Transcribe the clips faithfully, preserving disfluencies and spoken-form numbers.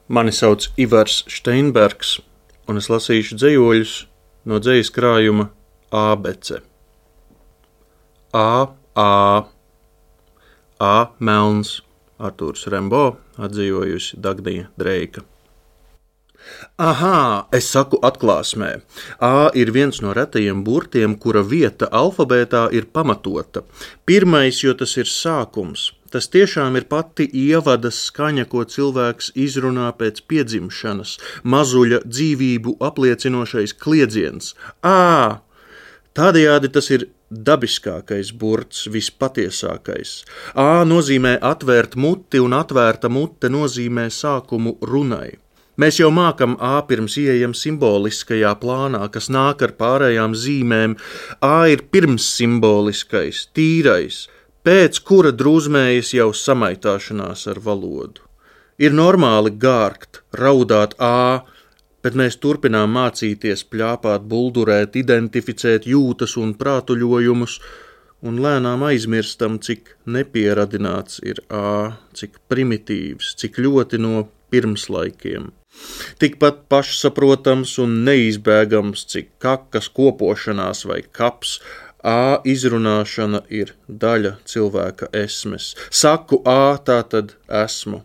Mani sauc Ivars Steinbergs, un es lasīšu dzejoļus no dzejas krājuma Ābece. A, A, A, melns, Artūrs Rembo, atdzīvojusi Dagnija Dreika. Ahā, es saku atklāsmē. A ir viens no retajiem burtiem, kura vieta alfabētā ir pamatota. Pirmais, jo tas ir sākums. Tas tiešām ir pati ievada skaņa, ko cilvēks izrunā pēc piedzimšanas, mazuļa dzīvību apliecinošais kliedziens. Ā! Tādējādi tas ir dabiskākais burts, vispatiesākais. Ā nozīmē atvērt muti, un atvērta mute nozīmē sākumu runai. Mēs jau mākam A pirms ieejam simboliskajā plānā, kas nāk ar pārējām zīmēm. A ir pirms simboliskais, tīrais, pēc kura drūzmējas jau samaitāšanās ar valodu. Ir normāli gārgt, raudāt A, bet mēs turpinām mācīties pļāpāt, buldurēt, identificēt jūtas un prātuļojumus, un lēnām aizmirstam, cik nepieradināts ir A, cik primitīvs, cik ļoti no pirmslaikiem. Tikpat pašsaprotams un neizbēgams, cik kakas kopošanās vai kaps. A izrunāšana ir daļa cilvēka esmes. Saku A, tā tad esmu.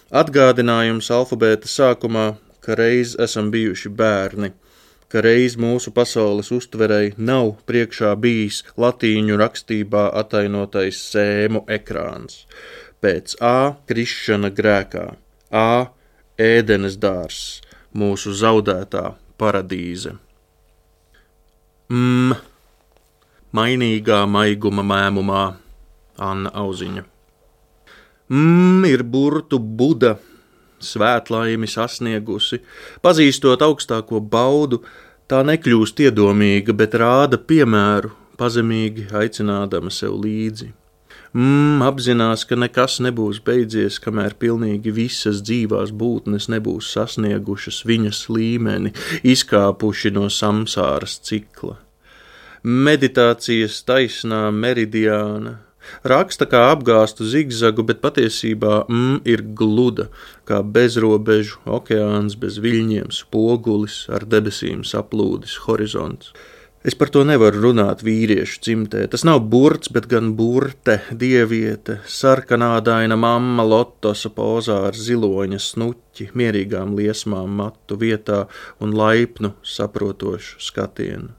Atgādinājums alfabēta sākumā, ka reiz esam bijuši bērni, ka reiz mūsu pasaules uztverei nav priekšā bijis latīņu rakstībā atainotais sēmu ekrāns. Pēc A krišana grēkā. A ēdenes dārs, mūsu zaudētā paradīze. M. Mainīgā maiguma mēmumā, Anna Auziņa. M ir burtu Buda, svētlaimi sasniegusi. Pazīstot augstāko baudu, tā nekļūst iedomīga, bet rāda piemēru, pazemīgi aicinādama sev līdzi. M apzinās, ka nekas nebūs beidzies, kamēr pilnīgi visas dzīvās būtnes nebūs sasniegušas viņas līmeni, izkāpuši no samsāras cikla. Meditācijas taisnā meridiāna raksta kā apgāstu zigzagu, bet patiesībā M ir gluda, kā bezrobežu okeāns bez viļņiem, spogulis ar debesīm saplūdis horizonts. Es par to nevaru runāt vīriešu dzimtē. Tas nav burts, bet gan burte, dieviete, sarkanādaina mamma lotosa pozā ar ziloņa snuķi, mierīgām liesmām matu vietā un laipnu, saprotošu skatienu.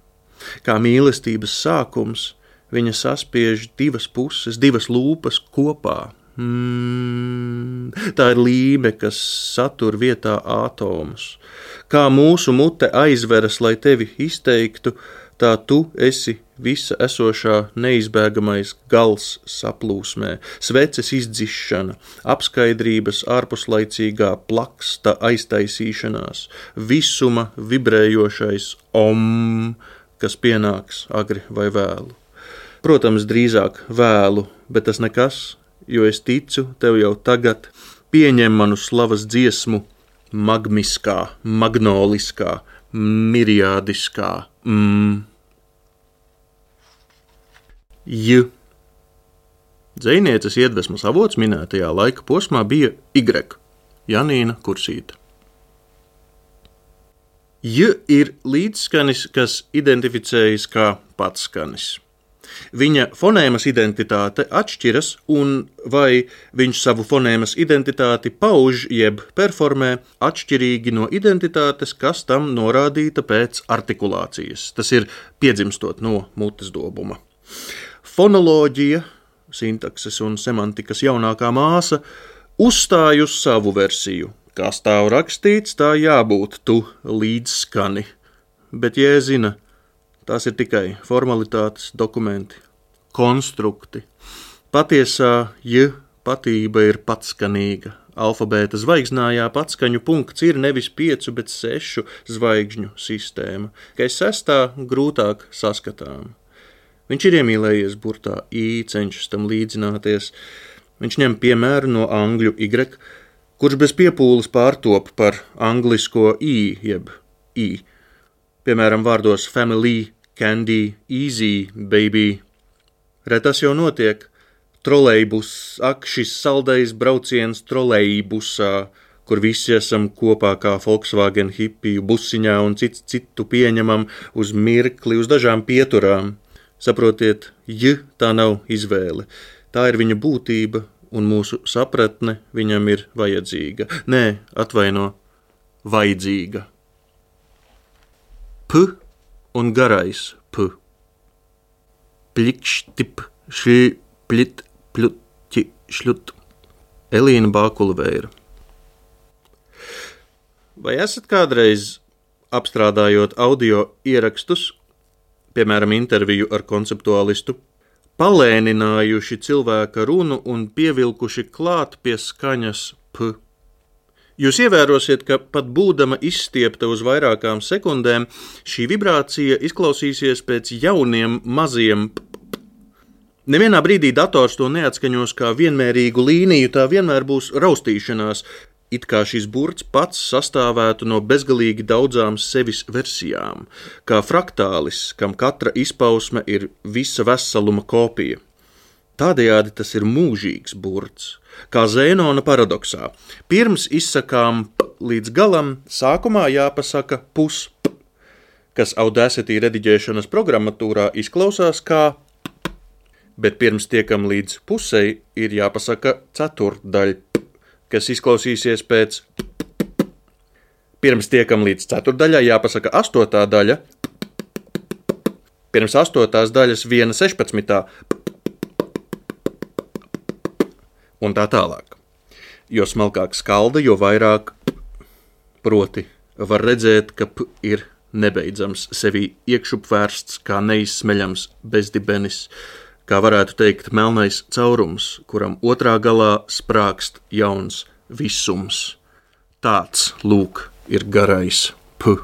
Kā mīlestības sākums, viņa saspiež divas puses, divas lūpas kopā. Mm, tā ir līme, kas satur vietā ātomus. Kā mūsu mute aizveras, lai tevi izteiktu, tā tu esi visa esošā neizbēgamais gals saplūsmē, sveces izdzišana, apskaidrības ārpuslaicīgā plaksta aiztaisīšanās, visuma vibrējošais om, kas pienāks agri vai vēlu. Protams, drīzāk vēlu, bet tas nekas, jo es ticu tev jau tagad, pieņem manu slavas dziesmu magmiskā, magnoliskā, miriādiskā. Mm. J. Dzejnieces iedvesmas avots minētajā laika posmā bija Y. Janīna Kursīta. J ir līdzskanis, kas identificējas kā patskanis. Viņa fonēmas identitāte atšķiras, un vai viņš savu fonēmas identitāti pauž jeb performē atšķirīgi no identitātes, kas tam norādīta pēc artikulācijas. Tas ir piedzimstot no mutes dobuma. Fonoloģija, sintakses un semantikas jaunākā māsa, uzstāj uz savu versiju. Kā stāv rakstīts, tā jābūt tu līdzskani, bet jēzina, tās ir tikai formalitātes, dokumenti, konstrukti. Patiesā J patība ir patskanīga. Alfabēta zvaigznājā patskaņu punkts ir nevis piecu, bet sešu zvaigžņu sistēma, kai sestā grūtāk saskatām. Viņš ir iemīlējies burtā I, cenšas tam līdzināties. Viņš ņem piemēru no angļu Y, kurš bez piepūles pārtop par anglisko I, jeb I. Piemēram, vārdos family, candy, easy, baby. Retas jau notiek. Trolejbus, ak, šis saldais brauciens trolejbusā, kur visi esam kopā kā Volkswagen hipiju busiņā un cits citu pieņemam uz mirkli, uz dažām pieturām. Saprotiet, j tā nav izvēle. Tā ir viņa būtība, un mūsu sapratne viņam ir vajadzīga. Nē, atvaino, vajadzīga. P un garais p. Plikštip, šī, plit, pļuķi, šļut. Elīna Bākulveira. Vai esat kādreiz apstrādājot audio ierakstus, piemēram, interviju ar konceptuālistu, palēninājuši cilvēka runu un pievilkuši klāt pie skaņas p? Jūs ievērosiet, ka pat būdama izstiepta uz vairākām sekundēm, šī vibrācija izklausīsies pēc jauniem maziem p. Nevienā brīdī dators to neatskaņos kā vienmērīgu līniju, tā vienmēr būs raustīšanās, it kā šis burts pats sastāvētu no bezgalīgi daudzām sevis versijām, kā fraktālis, kam katra izpausme ir visa veseluma kopija. Tādējādi tas ir mūžīgs burts, kā Zēnona paradoksā. Pirms izsakām p līdz galam, sākumā jāpasaka pus p, kas Audacity rediģēšanas programmatūrā izklausās kā p, bet pirms tiekam līdz pusei ir jāpasaka ceturtdaļ p, kas izklausīsies pēc p, p, p. Pirms tiekam līdz ceturtdaļai jāpasaka astotā daļa, p, pirms astotās daļas viena sešpadsmitā p, un tā tālāk. Jo smalkāk skalda, jo vairāk p, proti var redzēt, ka p ir nebeidzams, sevī iekšupvērsts kā neizsmeļams bezdibenis, kā varētu teikt melnais caurums, kuram otrā galā sprākst jauns visums. Tāds, lūk, ir garais p.